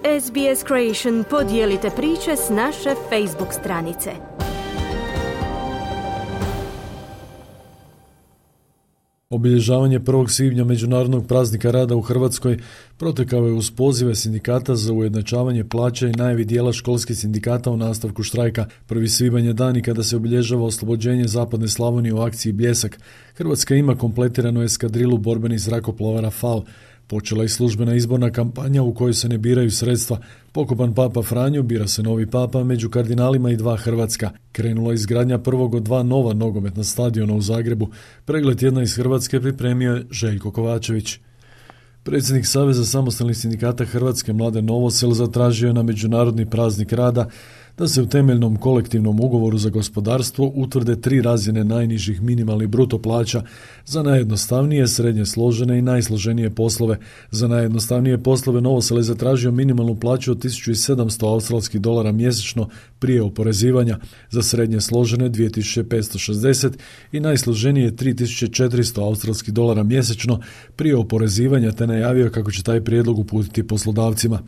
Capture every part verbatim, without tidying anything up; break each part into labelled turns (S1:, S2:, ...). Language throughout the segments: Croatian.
S1: S B S Creation podijelite priče s naše Facebook stranice.
S2: Obilježavanje prvog svibnja Međunarodnog praznika rada u Hrvatskoj protekao je uz pozive sindikata za ujednačavanje plaća i najavi dijela školskih sindikata u nastavku štrajka. Prvi svibanj je dan i kada se obilježava oslobođenje Zapadne Slavonije u akciji Bljesak. Hrvatska ima kompletiranu eskadrilu borbenih zrakoplova Rafal. Počela je službena izborna kampanja u kojoj se ne biraju sredstva. Pokopan Papa Franjo, bira se novi papa, među kardinalima i dva hrvatska. Krenula izgradnja prvog od dva nova nogometna stadiona u Zagrebu. Pregled jedna iz Hrvatske pripremio je Željko Kovačević. Predsjednik Saveza samostalnih sindikata Hrvatske Mladen Novosel zatražio je na Međunarodni praznik rada da se u temeljnom kolektivnom ugovoru za gospodarstvo utvrde tri razine najnižih minimalnih bruto plaća za najjednostavnije, srednje složene i najsloženije poslove. Za najjednostavnije poslove Novosel je zatražio minimalnu plaću od tisuću sedamsto australskih dolara mjesečno prije oporezivanja, za srednje složene dvije tisuće petsto šezdeset i najsloženije tri tisuće četiristo australskih dolara mjesečno prije oporezivanja, te najavio kako će taj prijedlog uputiti poslodavcima.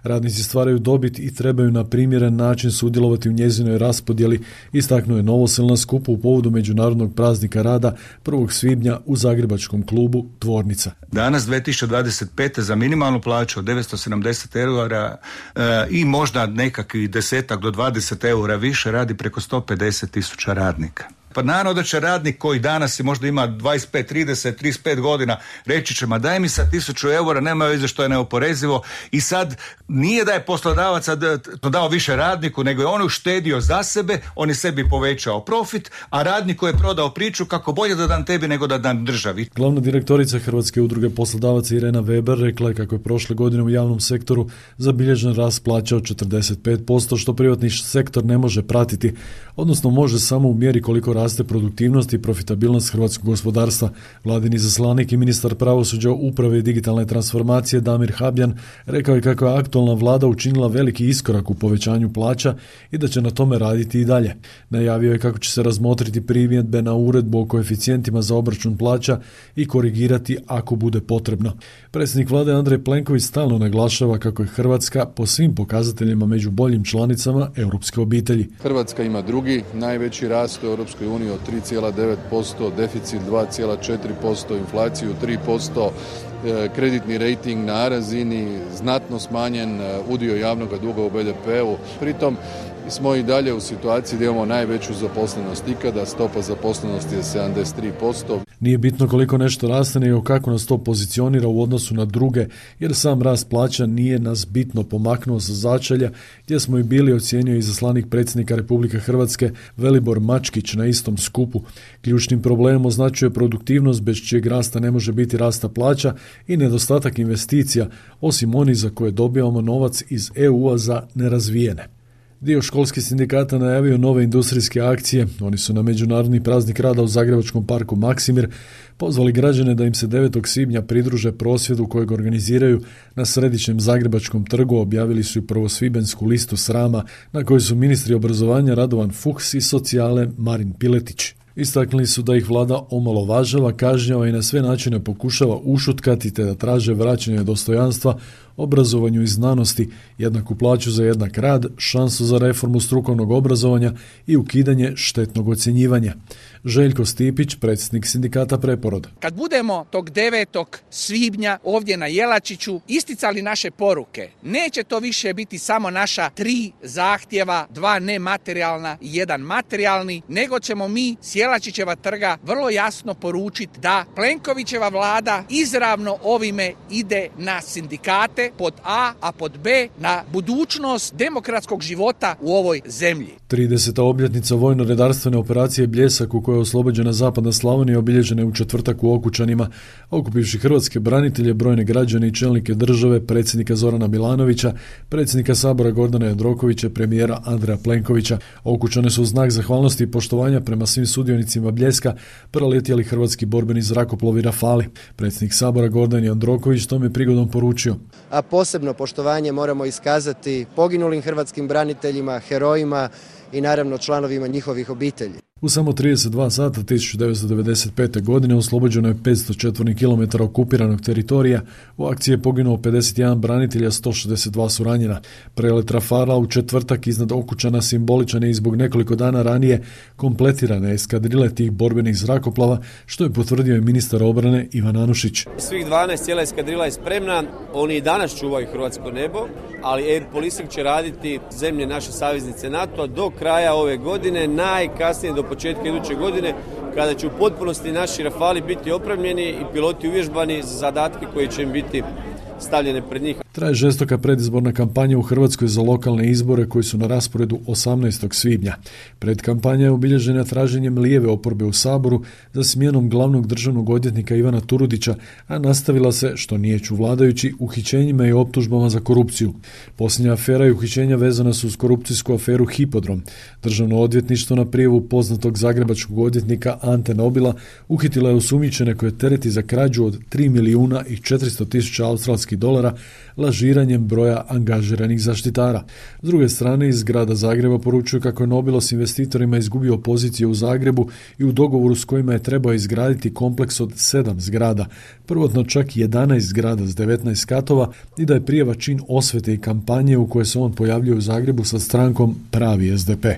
S2: Radnici stvaraju dobit i trebaju na primjeren način sudjelovati u njezinoj raspodjeli, istaknuo je Novosel na skupu u povodu Međunarodnog praznika rada prvog svibnja u zagrebačkom klubu Tvornica.
S3: Danas dvije tisuće dvadeset pete za minimalnu plaću od devetsto sedamdeset eura e, i možda nekakvih desetak do dvadeset eura više radi preko sto pedeset tisuća radnika. Pa naravno da će radnik koji danas možda ima dvadeset pet, trideset, trideset pet godina reći će, ma daj mi sa tisuću eura, nema veze što je neoporezivo, i sad nije da je poslodavac to dao više radniku, nego je on uštedio za sebe, on je sebi povećao profit, a radniku je prodao priču kako bolje da dam tebi nego da dam državi.
S2: Glavna direktorica Hrvatske udruge poslodavaca Irena Weber rekla je kako je prošle godine u javnom sektoru zabilježen rast plaća od četrdeset pet posto, što privatni sektor ne može pratiti, odnosno može samo u mjeri koliko raste produktivnost i profitabilnost hrvatskog gospodarstva. Vladin izaslanik i ministar pravosuđa, uprave i digitalne transformacije Damir Habjan rekao je kako je aktualna vlada učinila veliki iskorak u povećanju plaća i da će na tome raditi i dalje. Najavio je kako će se razmotriti primjedbe na uredbu o koeficijentima za obračun plaća i korigirati ako bude potrebno. Predsjednik vlade Andrej Plenković stalno naglašava kako je Hrvatska po svim pokazateljima među boljim članicama europske obitelji.
S4: Hrvatska ima drugi najveći rast u Europskoj uniji od tri zarez devet posto, deficit dva zarez četiri posto, inflaciju tri posto, kreditni rejting na A razini, znatno smanjen udio javnog duga u B D P-u. Pritom smo i dalje u situaciji da imamo najveću zaposlenost ikada, stopa zaposlenosti je sedamdeset tri posto.
S2: Nije bitno koliko nešto raste, nego kako nas to pozicionira u odnosu na druge, jer sam rast plaća nije nas bitno pomaknuo sa začelja, gdje smo i bili, ocijenio izaslanik predsjednika Republike Hrvatske Velibor Mačkić na istom skupu. Ključnim problemom označuje produktivnost bez čijeg rasta ne može biti rasta plaća i nedostatak investicija, osim onih za koje dobijamo novac iz E U-a za nerazvijene. Dio školskih sindikata najavio nove industrijske akcije. Oni su na Međunarodni praznik rada u zagrebačkom parku Maksimir pozvali građane da im se devetog svibnja pridruže prosvjedu kojeg organiziraju na središnjem zagrebačkom trgu. Objavili su i prvosvibensku listu srama na kojoj su ministri obrazovanja Radovan Fuchs i socijale Marin Piletić. Istaknuli su da ih vlada omalovažava, kažnjava i na sve načine pokušava ušutkati te da traže vraćanje dostojanstva obrazovanju i znanosti, jednaku plaću za jednak rad, šansu za reformu strukovnog obrazovanja i ukidanje štetnog ocjenjivanja. Željko Stipić, predsjednik sindikata Preporod.
S5: Kad budemo tog devetog svibnja ovdje na Jelačiću isticali naše poruke, neće to više biti samo naša tri zahtjeva, dva nematerijalna i jedan materijalni, nego ćemo mi s Jelačićeva trga vrlo jasno poručiti da Plenkovićeva vlada izravno ovime ide na sindikate pod A, a pod B na budućnost demokratskog života u ovoj zemlji.
S2: trideseta obljetnica vojno-redarstvene operacije Bljesak, u kojoj je oslobođena Zapadna Slavonija, obilježena je u četvrtak u Okučanima. Okupivši hrvatske branitelje, brojne građane i čelnike države, predsjednika Zorana Milanovića, predsjednika Sabora Gordana Jandrokovića, premijera Andreja Plenkovića. Okučane su u znak zahvalnosti i poštovanja prema svim sudionicima Bljeska preletjeli hrvatski borbeni zrakoplovi Rafali. Predsjednik Sabora Gordan Jandroković tom je prigodom poručio:
S6: a posebno poštovanje moramo iskazati poginulim hrvatskim braniteljima, herojima i naravno članovima njihovih obitelji.
S2: U samo trideset dva sata tisuću devetsto devedeset pete. godine oslobođeno je petsto četvornih kilometara okupiranog teritorija. U akciji je poginuo pedeset jedan branitelja, sto šezdeset dva su ranjena. Prelet Rafala u četvrtak iznad Okučana simboličan je i zbog nekoliko dana ranije kompletirane eskadrile tih borbenih zrakoplava, što je potvrdio i ministar obrane Ivan Anušić.
S7: Svih dvanaest cijela eskadrila je spremna, oni i danas čuvaju hrvatsko nebo, ali Air Policing će raditi zemlje naše saveznice NATO do kraja ove godine, najkasnije do početka iduće godine, kada će u potpunosti naši Rafali biti opremljeni i piloti uvježbani za zadatke koji će im biti stavljene pred njih.
S2: Traje žestoka predizborna kampanja u Hrvatskoj za lokalne izbore koji su na rasporedu osamnaestog svibnja. Predkampanja je obilježena traženjem lijeve oporbe u Saboru za smjenom glavnog državnog odvjetnika Ivana Turudića, a nastavila se, što niječu vladajući, uhićenjima i optužbama za korupciju. Posljednja afera i uhićenja vezana su uz korupcijsku aferu Hipodrom. Državno odvjetništvo na prijavu poznatog zagrebačkog odvjetnika Ante Nobila uhitila je osumnjičene koje tereti za krađu od tri milijuna i četiristo tisuća australskih dolara lažiranjem broja angažiranih zaštitara. S druge strane, iz grada Zagreba poručuju kako je Nobilo s investitorima izgubio pozicije u Zagrebu i u dogovoru s kojima je trebao izgraditi kompleks od sedam zgrada, prvotno čak jedanaest zgrada s devetnaest katova, i da je prijava čin osvete i kampanje u kojoj se on pojavljuje u Zagrebu sa strankom Pravi es de pe.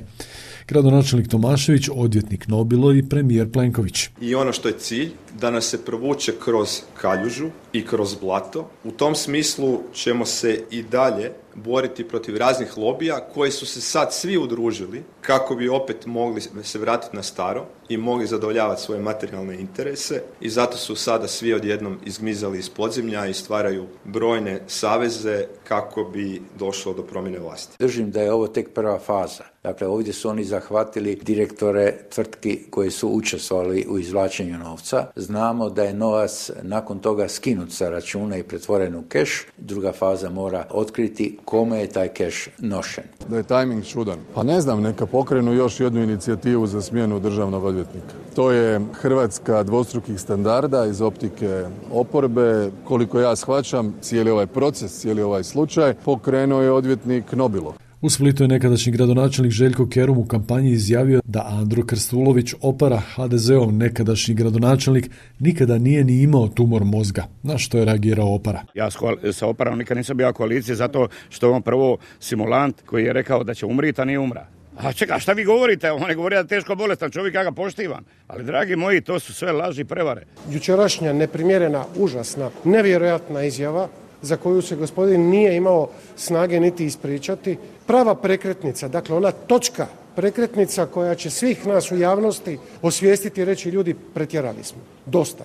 S2: Gradonačelnik Tomašević, odvjetnik Nobilo i premijer Plenković.
S8: I ono što je cilj, da nas se provuče kroz kaljužu i kroz blato. U tom smislu ćemo se i dalje boriti protiv raznih lobija koji su se sad svi udružili kako bi opet mogli se vratiti na staro i mogli zadovoljavati svoje materijalne interese, i zato su sada svi odjednom izgmizali iz podzemlja i stvaraju brojne saveze kako bi došlo do promjene vlasti.
S9: Držim da je ovo tek prva faza. Dakle, ovdje su oni zahvatili direktore tvrtki koji su učestvovali u izvlačenju novca. Znamo da je novac nakon toga skinut sa računa i pretvoren u keš. Druga faza mora otkriti kome je taj keš nošen.
S4: Da je tajming čudan. Pa ne znam, neka pokrenu još jednu inicijativu za smjenu državnog odvjetnika. To je Hrvatska dvostrukih standarda iz optike oporbe. Koliko ja shvaćam, cijeli ovaj proces, cijeli ovaj slučaj pokrenuo je odvjetnik Nobilo.
S2: U Splitu je nekadašnji gradonačelnik Željko Kerum u kampanji izjavio da Andro Krstulović Opara, ha de zeov nekadašnji gradonačelnik, nikada nije ni imao tumor mozga, na što je reagirao Opara.
S10: Ja sa Oparom nikad nisam bio u koaliciji zato što je on prvo simulant koji je rekao da će umriti, a nije umra. A čekaj, šta vi govorite? On ne govori da je teško bolestan čovjek, ja ga poštivam. Ali, dragi moji, to su sve laži i prevare.
S11: Jučerašnja neprimjerena, užasna, nevjerojatna izjava za koju se gospodin nije imao snage niti ispričati, prava prekretnica, dakle ona točka prekretnica koja će svih nas u javnosti osvijestiti i reći ljudi, pretjerali smo, dosta.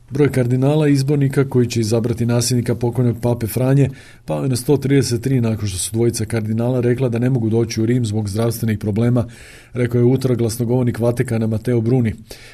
S2: Broj kardinala i izbornika koji će izabrati nasljednika pokojnog pape Franje pao je na sto trideset tri nakon što su dvojica kardinala rekla da ne mogu doći u Rim zbog zdravstvenih problema, rekao je utorak glasnogovornik Vatikana Mateo Bruni.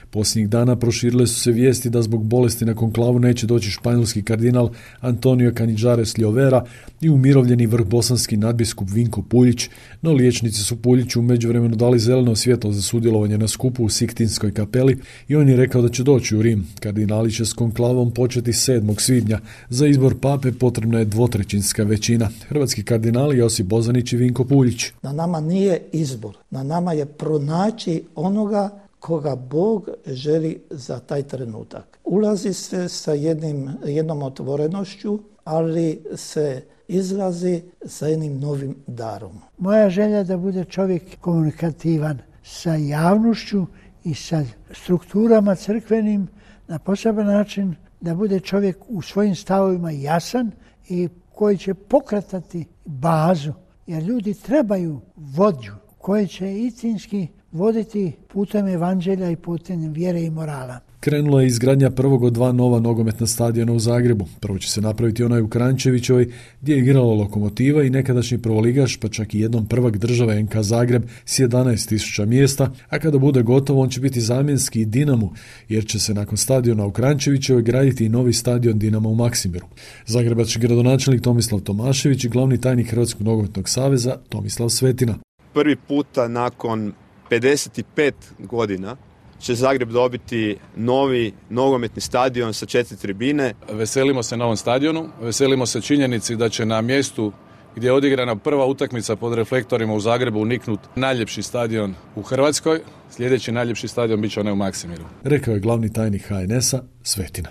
S2: Posljednjih dana proširile su se vijesti da zbog bolesti na konklavu neće doći španjolski kardinal Antonio Canizares Llovera i umirovljeni vrhbosanski nadbiskup Vinko Puljić, no liječnici su Puljiću u međuvremenu dali zeleno svjetlo za sudjelovanje na skupu u Siktinskoj kapeli i on je rekao da će doći u Rim. Kardinali će s konklavom početi sedmog svibnja. Za izbor pape potrebna je dvotrećinska većina. Hrvatski kardinali Josip Bozanić i Vinko Puljić.
S12: Na nama nije izbor, na nama je pronaći onoga koga Bog želi za taj trenutak. Ulazi se sa jednim, jednom otvorenošću, ali se izlazi sa jednim novim darom.
S13: Moja želja je da bude čovjek komunikativan sa javnošću i sa strukturama crkvenim na poseban način, da bude čovjek u svojim stavovima jasan i koji će pokretati bazu, jer ljudi trebaju vođu koji će istinski voditi putem evanđelja i putem vjere i morala.
S2: Krenula je izgradnja prvog od dva nova nogometna stadiona u Zagrebu. Prvo će se napraviti onaj u Kranjčevićevoj, gdje je igrala Lokomotiva i nekadašnji prvoligaš, pa čak i jednom prvak države en ka Zagreb s jedanaest tisuća mjesta, a kada bude gotovo on će biti zamjenski i Dinamu, jer će se nakon stadiona u Kranjčevićevoj graditi i novi stadion Dinama u Maksimiru. Zagrebački gradonačelnik Tomislav Tomašević i glavni tajnik Hrvatskog nogometnog saveza Tomislav Svetina.
S8: Prvi puta nakon pedeset pet godina će Zagreb dobiti novi nogometni stadion sa četiri tribine.
S14: Veselimo se novom stadionu, veselimo se činjenici da će na mjestu gdje je odigrana prva utakmica pod reflektorima u Zagrebu, uniknut najljepši stadion u Hrvatskoj. Sljedeći najljepši stadion bit će onaj u Maksimiru.
S2: Rekao je glavni tajnik ha en es a Svetina.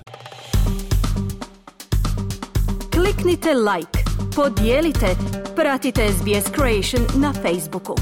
S1: Kliknite like, podijelite, pratite es be es Creation na Facebooku.